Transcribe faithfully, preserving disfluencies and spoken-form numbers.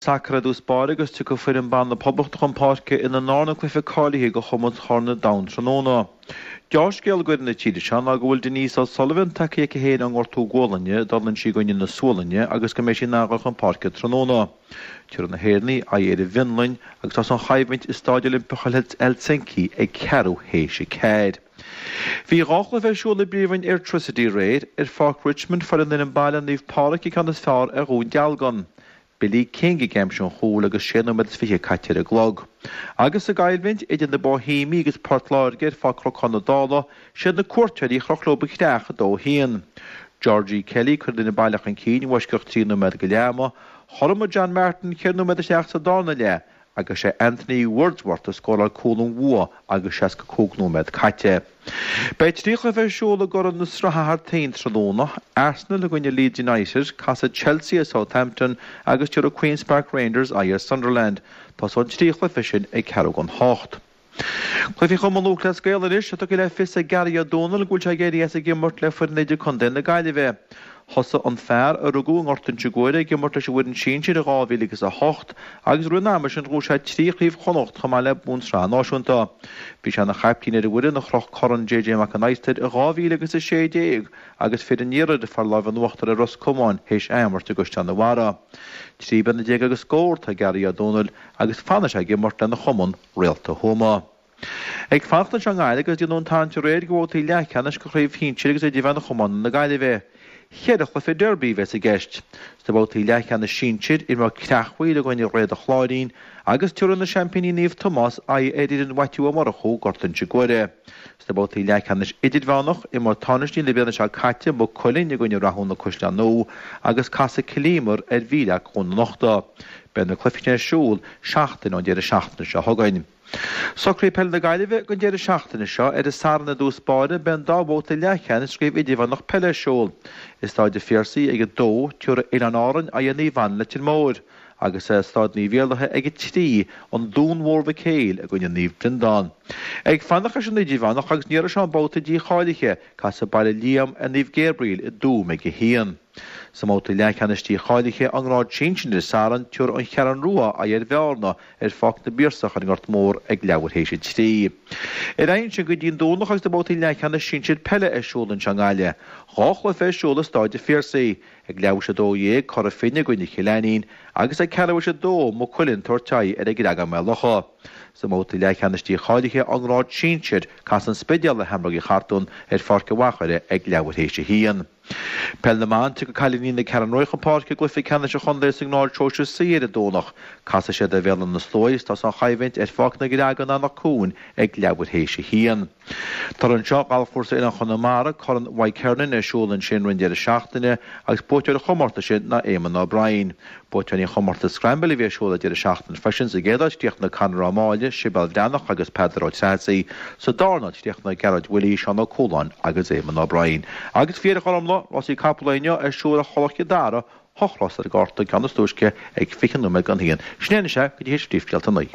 Sacar i dtús báire agus tiocfaidh foireann ban na Poblachta chun páirce ina ndarna cluiche cáilithe do chomórtas Chorn an Domhain tráthnóna. Deá-scéal d'fhoireann na tíre seo ná go bhfuil Denise O'Sullivan tagtha chuici féin ón ngortú gualainne a d'fhulaing sí i gcoinne na Sualainne agus go mbeidh sí in ann dul chun páirce tráthnóna. Tabharfaidh na hÉireannaigh aghaidh ar an bhFionlainn agus tá an choimhlint i Stáid Oilimpeach Helsinki ag ceathrú théis a ceathair. Bhí dhá chluiche ar siúl i bPríomhroinn Airtricity aréir. Ar Pháirc Richmond fuair an fhoireann baile Naomh Pádraig an ceann is fearr ar Dhún Dealgan. Billy King ag aimsiú an chúil agus sé nóiméad is fiche caite ar an gclog. Agus sa gcoimhlint idir na Boihéamaigh agus Port Láirge ar Pháirc Chnocán na Dála, siad na cuairteoirí a chroch leo an chreach a dó a haon. Georgie Kelly chuir an fhoireann baile chun cinn i bhfoisceacht trí nóiméad go leath ama, chothromaigh John Martin ceithre nóiméad isteach sa darna leath agus sé Anthony Wordsworth a scóráil cúl an bhua agus seasca cúig nóiméad caite. Beidh trí chluiche ar siúl i gCorn na Sraithe thar toinn tráthnóna, Arsenal i gcoinne Leeds United, casfaidh Chelsea ar Southampton agus tabharfaidh Queens Park Rangers aghaidh ar Sunderland. Tosóidh an trí chluiche sin ag ceathrú don hocht. Cluichí Chumann Lúthchleas Gael anois, tá tugtha le fios ag Gary Ó Dónaill go bhfuil sé ag éirí as ag imirt le foireann idirchontae na Gaillimhe. Thosaigh an fear, a rugadh i nGort Inse Guaire, ag imirt leis an bhfoireann sinsir i dhá mhíle agus a hocht agus i rith an ama sin ghnóthaigh sé trí Chraobh Chonnacht chomh maith le bonn sraithe náisiúnta. Bhí sé ina chaiptín ar an bhfoireann a chroch Corn J J Mac an Adhastair i dhá mhíle agus a sé déag agus fir an iarthair a fuair lámh in uachtar ar Ros Comáin théis athimirt i gCaisleán an Bharraigh. Trí bliana déag agus scór atá ag Gary Ó Dónaill agus fanfaidh sé ag imirt lena chumann, Réalta Thuama. Ag fanacht anseo i nGaillimh agus déanadh an tarraingt aréir do bhabhtaí leathcheannais de Chraobh Shinsir agus Idirmheánach Iomána na Gaillimhe. Ceithre chluiche derby a bheas i gceist. Sna babhtaí leathcheannais sinsir, imreoidh Creachmhaoil i gcoinne Réad an Chláirín agus tabharfaidh na seaimpíní Naomh Tomás aghaidh ar fhoireann Mhaitiú Ó Murchú, Gort Inse Guaire. Sna babhtaí leathcheannais idirmheánach, imreoidh tánaistí na bliana seo caite, Maigh Cuilinn i gcoinne Rathúna Caisleán Nua agus casfaidh Cill Íomair ar Mhíleac Dhún na Nochta. Beidh na cluichí sin ar siúl seachtain ón deireadh seachtaine seo chugainn. Socruithe Peile na Gaillimhe don deireadh seachtaine seo, ar an Satharn i dtús báire beidh an dá bhabhta leathcheannais de chraobh idirmheánach peile ar siúl. I Stáid an Phiarsaigh ag a dó, tabharfaidh Oileáin Árann aghaidh ar Naomh Anna Leitir Móir, agus i Stáid Naomh Iarlaithe ag a trí, An Dún Mór Mhic Éil i gcoinne Naomh Breandán. Ag fanacht leis an idirmheánach agus an iarraidh seo i mbabhta dícháilithe, casfaidh Baile Liam ar Naomh Gabriel i dTuaim ag a haon. Sa mbabhta leathcheannais dícháilithe ón ngrád sinsir ar an Satharn, tabharfaidh An Cheathrú Rua aghaidh ar Bhearna ar Pháirc na bPiarsach ar an nGort Mór ag leathuair théis a trí. Ar aghaidh ansin go dtí an Domhnach agus na babhtaí leathcheannais sinsir peile ar siúl anseo i nGaillimh. Dhá chluiche ar siúl i Stáid an Phiarsaigh. Ag leathuair théis a dó dhéag, Cora Finne i gcoinne Chill Ainnín agus ag ceathrú théis a dó, Maigh Cuilinn ag tabhairt aghaidh ar an gCreagán Maigh Locha. Sa mbabhta leathcheannais dícháilithe ón ngrád sinsir, casfaidh An Spidéal le Sheamróga Uí Chartúin ar Pháirc an Mhachaire ag leathuair théis a haon. Peil na mBan, Tiocfaidh cailíní na Ceathrún Rua chun páirce i gcluiche ceannais an chontae sa ngrád sóisir C ar an Domhnach. Casfaidh siad ar Bhéal Átha na Sluaighe agus tá an choimhlint ar Pháirc na gCreagán Eanach Cuain ag leathuair théis a haon. Tarlaíonn seo, Galfchúrsa Oileán Chonamara, Corn Mhaidhc Hernon ar siúl ansin roimh an deireadh seachtaine agus buaiteoir an chomórtais sin ná Éamonn O'Brien. Buaiteoirí an chomórtais Scramble a bhí ar siúl an deireadh seachtaine freisin, sa gcéad áit chríochnaigh Conor Ó Máille, Sibéal Bhreathnach agus Peadar Ó Treasaigh, sa darna háit chríochnaigh Gearóid Willie, Seán Ó Cualáin agus Éamonn O'Brien. Agus faoi dheireadh Ghormfhlaith, rásaí capall inniu ar siúl ar Thulach Chill Dara, hocht rás ar an gcárta, an ceann is túisce ag fiche nóiméad don haon. Sin é anois é go dtí théis Príomhscéalta a naoi.